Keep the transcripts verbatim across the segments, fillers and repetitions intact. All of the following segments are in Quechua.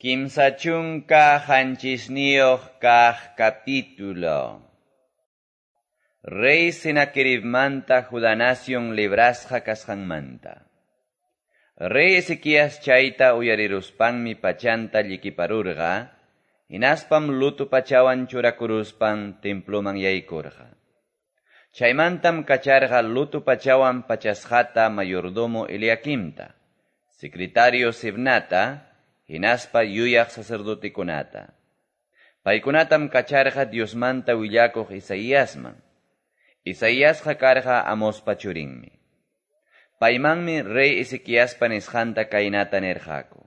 Kimsa chunka qanchisniyuq kaq capítulo. Rey Senaqueribmanta Judá nación librasqa kasqanmanta. Rey Ezequías chayta uyariruspanmi pachanta llikiparurqa, hinaspam luto pachawan churakuruspan temploman yaykurqa. Chaymantam kacharqa luto pachawan pachasqata mayordomo Eliaquimta, secretario Sebnata, hinaspa yuyaq sacerdotekunata. Paykunatam kacharqa Diosmanta willakuq Isaíasman. Isaíasqa karqa Amospa churinmi. Paymanmi rey Ezequiaspa nisqanta kaynata nirqaku: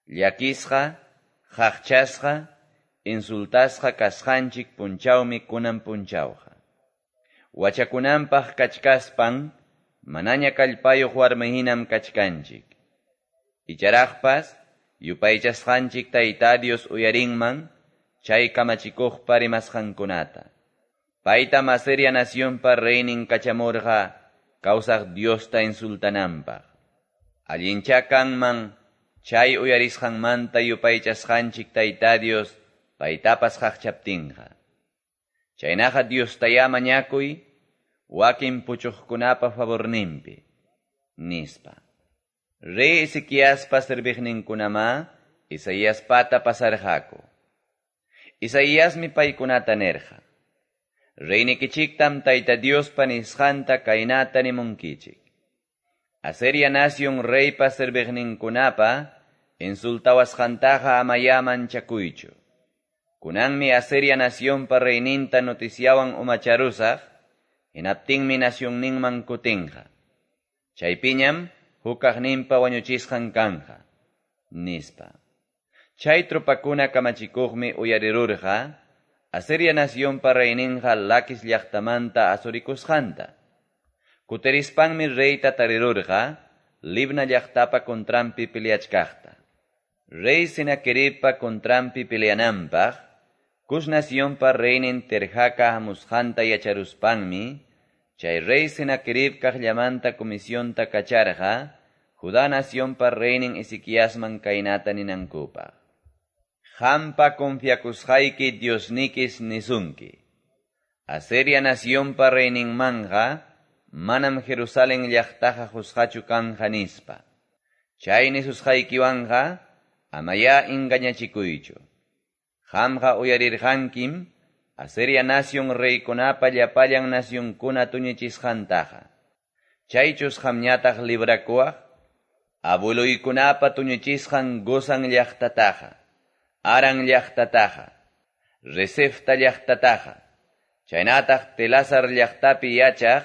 Llakisqa, qaqchasqa, insultasqa kasqanchik punchawmi kunan punchawqa. Wachakunanpaq kachkaspan manaña kallpayuq warmihinam kachkanchik. Icharaqpas yupaychasqanchik Tayta Dios uyarinman chay kamachikuqpa rimasqankunata. Paytam Asiria nacionpa reynin kachamurqa kawsaq Diosta insultananpaq. Allincha kanman chay uyarisqanmanta yupaychasqanchik Tayta Dios paytapas qaqchaptinqa. Chaynaqa Diostayá mañakuy wakin puchuqkunapa favorninpi, nispa. Rey Ezequiaspa serviqninkunamá Isaíaspata pasarqaku. Isaíasmi paykunata nirqa: Reynikichiktam Tayta Diospa nisqanta kaynata nimunkichik. Asiria nación reypa serviqninkunapa insultawasqantaqa amayá manchakuychu. Kunanmi Asiria nacionpa reyninta noticiawan umacharusaq, hinaptinmi nacionninman kutinqa. Chaypiñam hukaqninpa wañuchisqan kanja, nispa. Chay tropakuna kamachikuqmi uyarirurqa Asiria nacionpa reyninqa Laquis llaqtamanta asurikusqanta. Kutirispanmi reyta tarirurqa Libna llaqtapa contranpi peleachkaqta. Rey Senaqueribpa contranpi peleananpaq, Cus nacionpa reynin Tirhaca hamusqanta yacharuspanmi, chay rey Senaquerib kaqllamanta comisionta kacharqa Judá nacionpa reynin Ezequiasman kaynata ninankupaq: Qampa confiakusqayki Diosnikis nisunki. Asiria nacionpa reyninmanqa manam Jerusalén llaqtaqa qusqachu kanja nispa. Chay nisusqaykiwanqa amayá engañachikuychu. Qamqa uyarirqankim Asiria nación reykunapa llapallan nacionkuna tuñichisqantaqa. Chaychus qamñataq librakuwaq abueluykunapa tuñichisqan Gozan llaqtataqa, Haran llaqtataqa, Resefta llaqtataqa, chaynataq Telasar llaqtapi yachaq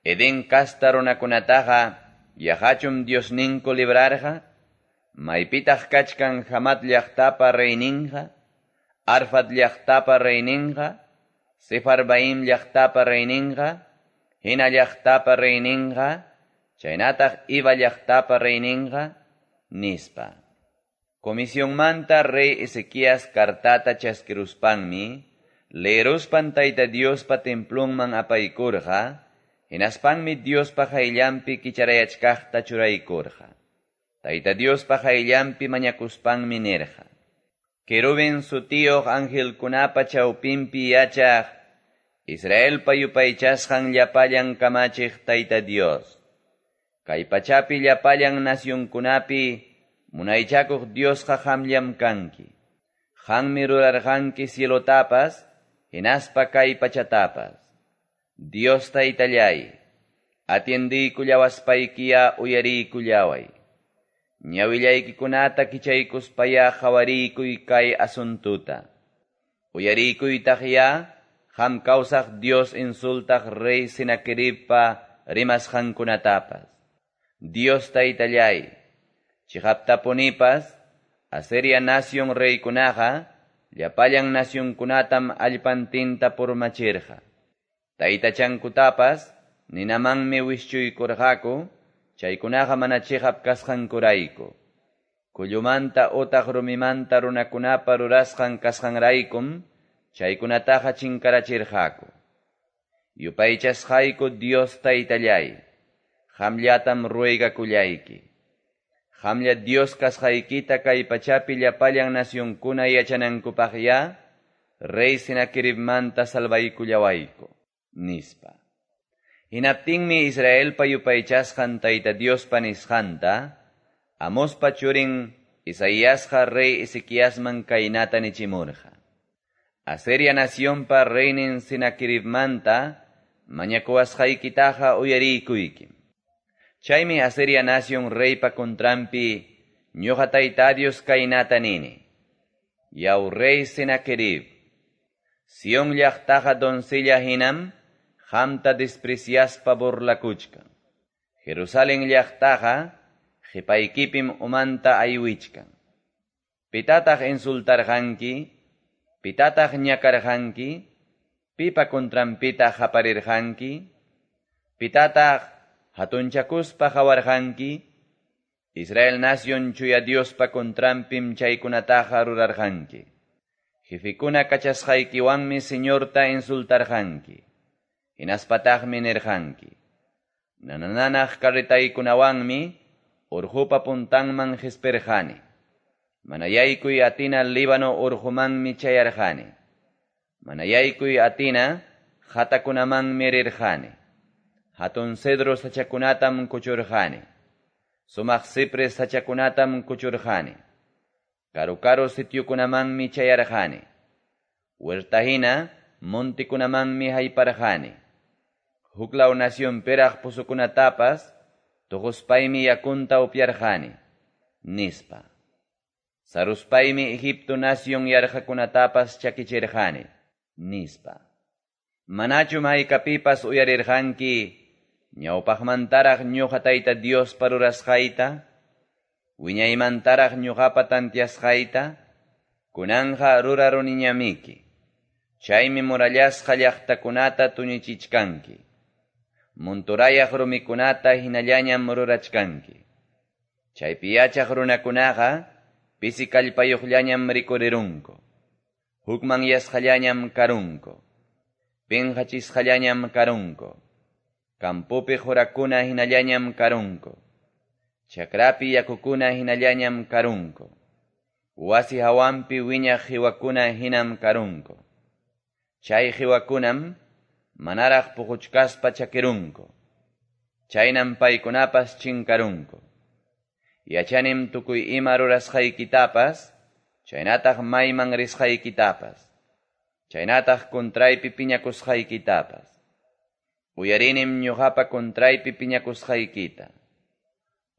Edén kasta runakunataqa yaqachum Diosninku librarqa? Maypitaq kachkan Hamat llaqtapa reyninqa, Arfad llaqtapa reyninqa, Sefarvaim llaqtapa reyninqa, Hena llaqtapa reyninqa, chaynataq Iva llaqtapa reyninqa, nispa. Comisionmanta rey Ezequías cartata chaskiruspanmi, leeruspan Tayta Diospa templonman apaykurqa, hinaspanmi Diospa qayllanpi kicharayachkaqta churaykurqa. Tayta Diospa qayllanpi mañakuspanmi nirqa: Querubin sutiyuq angelkunapa chawpinpi yachaq, Israelpa yupaychasqan llapallan kamachiq Tayta Dios. Kay pachapi llapallan nacionkunapi munaychakuq Diosqa qamllam kanki. Qanmi rurarqanki cielotapas, hinaspa kay pachatapas. Dios Taytallay, atiendiykullawaspaykiyá uyariykullaway. Ñawillaykikunata kichaykuspayá qhawariykuy kay asuntuta. Uyariykuytaqyá qam kawsaq Dios insultaq rey Senaqueribpa rimasqankunatapas. Dios Taytallay, chiqaptapunipas Asiria nación reykunaqa llapallan nacionkunatam allpantinta purmachirqa. Taytachankutapas ninamanmi wischuykurqaku, chaykunaqa mana chiqap kasqankurayku. Kullumanta utaq rumimanta runakunapa rurasqan kasqanraykum chaykunataqa chinkarachirqaku. Yupaychasqayku Dios Taytallay, qamllatam ruegakullayki. Qamlla Dios kasqaykita kay pachapi llapallan nacionkuna yachanankupaqyá rey Senaqueribmanta salvaykullawayku, nispa. Hinaptinmi Israelpa yupaychasqan Tayta Diospa nisqanta Amospa churin Isaiasqa rey Ezequiasman kaynata nichimurqa: Asiria nacionpa reynin Senaqueribmanta mañakuwasqaykitaqa uyariykuykim. Chaymi Asiria nación reypa contranpi ñuqa Tayta Dios kaynata nini: Yaw rey Senaquerib, Sión llaqtaqa doncella hinam qamta despreciaspa burlakuchkan. Jerusalén llaqtaqa qipaykipim umanta aywichkan. Pitataq insultarqanki? Pitataq ñakarqanki? Pipa contranpitaq qaparirqanki? Pitataq hatunchakuspa qawarqanki? Israel nación chuya Diospa contranpim chaykunataqa rurarqanki. Jefikuna kachasqaykiwanmi Señorta insultarqanki. Hinaspataqmi nirqanki: Nanananaq carretaykunawanmi urqupa puntanman qispirqani. Mana yaykuy atina Líbano urqumanmi chayarqani. Mana yaykuy atina qatakunamanmi rirqani. Hatun cedro sachakunatam kuchurqani. Sumaq cipres sachakunatam kuchurqani. Karu-karu sitiokunamanmi chayarqani. Huerta hina montikunamanmi hayparqani. Huklaw nacionpiraq pusukunatapas tuquspaymi yakunta upyarqani, nispa. Saruspaymi Egipto nación yarqakunatapas chakichirqani, nispa. Manachum haykapipas uyarirqanki ñawpaqmantaraq ñuqa Tayta Diospa rurasqayta, wiñaymantaraq ñuqapa tantiasqayta, kunanja ruraruniñamiki. Chaymi murallasqa llaqtakunata tuñichichkanki. Monturayaq rumikunata hinallañam rurachkanki. Chaypi yachaq runakunaqa pisi kallpayuqllañam rikurirunku. Hukmanyasqallañam karunku. Pinqachisqallañam karunku. Campopi qurakuna hinallañam karunku. Chakrapi yakukuna hinallañam karunku. Wasi hawanpi wiñaq qiwakuna hinam karunku. Chay qiwakunam manaraq puquchkaspa chakirunku. Chaynam paykunapas chinkarunku. Yachanim tukuy ima rurasqaykitapas, chaynataq mayman risqaykitapas, chaynataq contraypi piñakusqaykitapas. Uyarinim ñuqapa contraypi piñakusqaykita.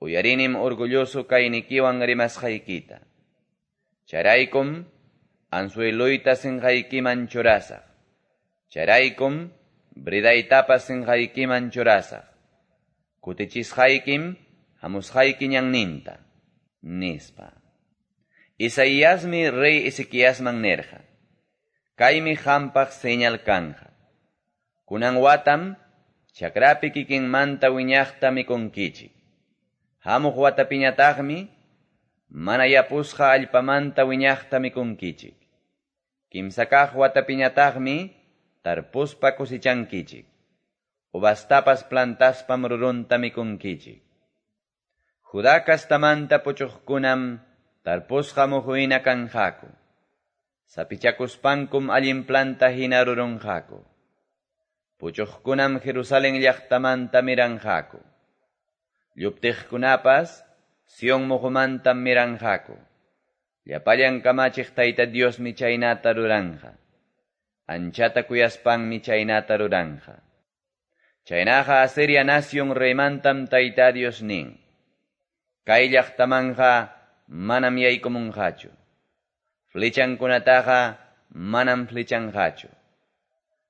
Uyarinim orgulloso kaynikiwan rimasqaykita. Chayraykum anzueloyta sinqaykiman churasaq. Chayraykum bridaytapas sinqaykiman churasaq. Kutichisqaykim hamusqayki ñanninta, nispa. Isaiasmi rey Ezequiasman nirqa: Kaymi qampaq señal kanja. Kunan watam chakrapi kikinmanta wiñaqta mikunkichik. Hamuq watapiñataqmi mana yapusqa allpamanta wiñaqta mikunkichik. Kimsa kaq watapiñataqmi tarpuspa cosechankichik. Uvastapas plantaspam rurunta mikunkichik. Judá kastamanta puchuqkunam tarpusqa muhu hina kanqaku. Sapichakuspankum allin planta hina rurunqaku. Puchuqkunam Jerusalén llaqtamanta miranqaku. Lluptiqkunapas Sion muhumantam miranqaku. Llapallan kamachiq Tayta Diosmi chaynata ruranqa. Anchata kuyaspanmi chaynata ruranqa. Chaynaqa Asiria nación reymantam Tayta Dios nin: Kay llaqtamanja manam yaykumunqachu. Flechankunataqa manam flechanqachu.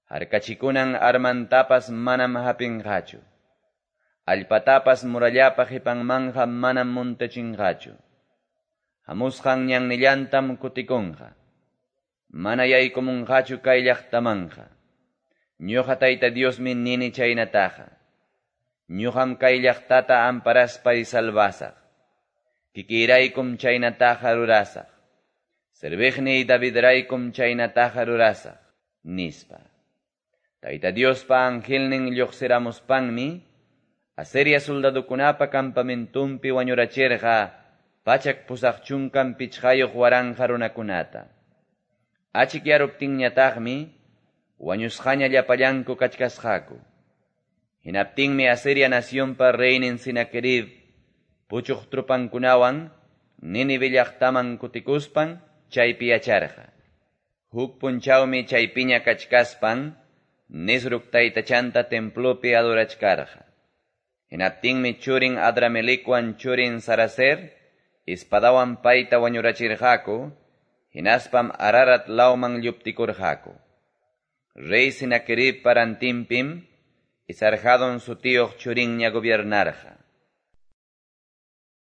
Harkachikunan armantapas manam hapinqachu. Allpatapas murallapa qipanmanja manam muntachinqachu. Hamusqan ñannillantam kutikunqa. Mana yaykumunqachu kay llaqtamanja. Ñuqa Tayta Diosmi nini chaynataqa. Ñuqam kay llaqtata amparaspay salvasaq. Kikiraykum chaynataqa rurasaq. Serviqniy Davidraykum chaynataqa rurasaq, nispa. Tayta Diospa angelnin lluqsiramuspanmi Asiria soldadukunapa campamentumpi wañurachirqa pachak pusaq chunkan pichqayuq waranqa runakunata. Achikyaruptinñataqmi wañusqaña llapallanku kachkasqaku. Hinaptinmi Asiria nacionpa reynin Senaquerib puchuq tropankunawan Nínive llaqtaman kutikuspan chaypi yacharqa. Huk punchawmi chaypiña kachkaspan Nisroc taytachanta templopi adorachkarqa. Hinaptinmi churin Adramelecwan churin Saraser espadawan payta wañurachirqaku, hinaspam Ararat lawman lluptikurqaku. Rey Senaqueribpa rantinpim Esarhadon sutiyuq churinña gobiernarqa.